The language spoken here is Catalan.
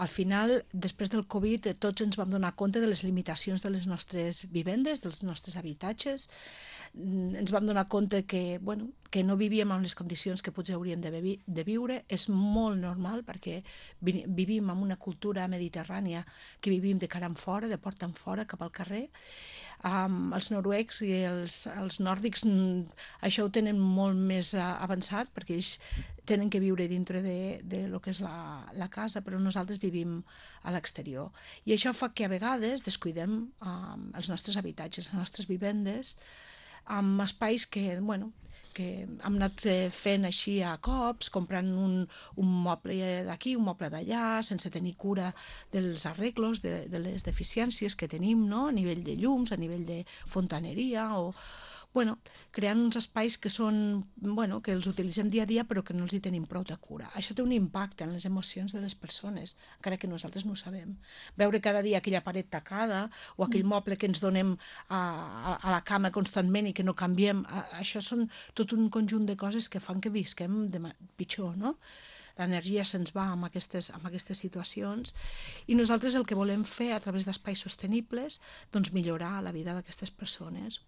Al final, després del Covid, tots ens vam donar compte de les limitacions de les nostres vivendes, dels nostres habitatges. Ens vam donar compte que, bueno, que no vivíem en les condicions que potser hauríem de viure. És molt normal perquè vivim en una cultura mediterrània que vivim de cara en fora, de porta en fora, cap al carrer. Els noruecs i els nòrdics això ho tenen molt més avançat perquè ells tenen que viure dintre de lo que és la casa, però nosaltres vivim a l'exterior. I això fa que a vegades descuidem els nostres habitatges, les nostres vivendes, amb espais que, bueno, que hem anat fent així a cops, comprant un moble d'aquí, un moble d'allà, sense tenir cura dels arreglos, de les deficiències que tenim, no? A nivell de llums, a nivell de fontaneria, o bueno, creant uns espais que són, bueno, que els utilitzem dia a dia però que no els hi tenim prou de cura. Això té un impacte en les emocions de les persones, encara que nosaltres no ho sabem. Veure cada dia aquella paret tacada o aquell moble que ens donem a la cama constantment i que no canviem, això són tot un conjunt de coses que fan que visquem pitjor, no? L'energia se'ns va amb aquestes situacions i nosaltres el que volem fer a través d'espais sostenibles doncs millorar la vida d'aquestes persones.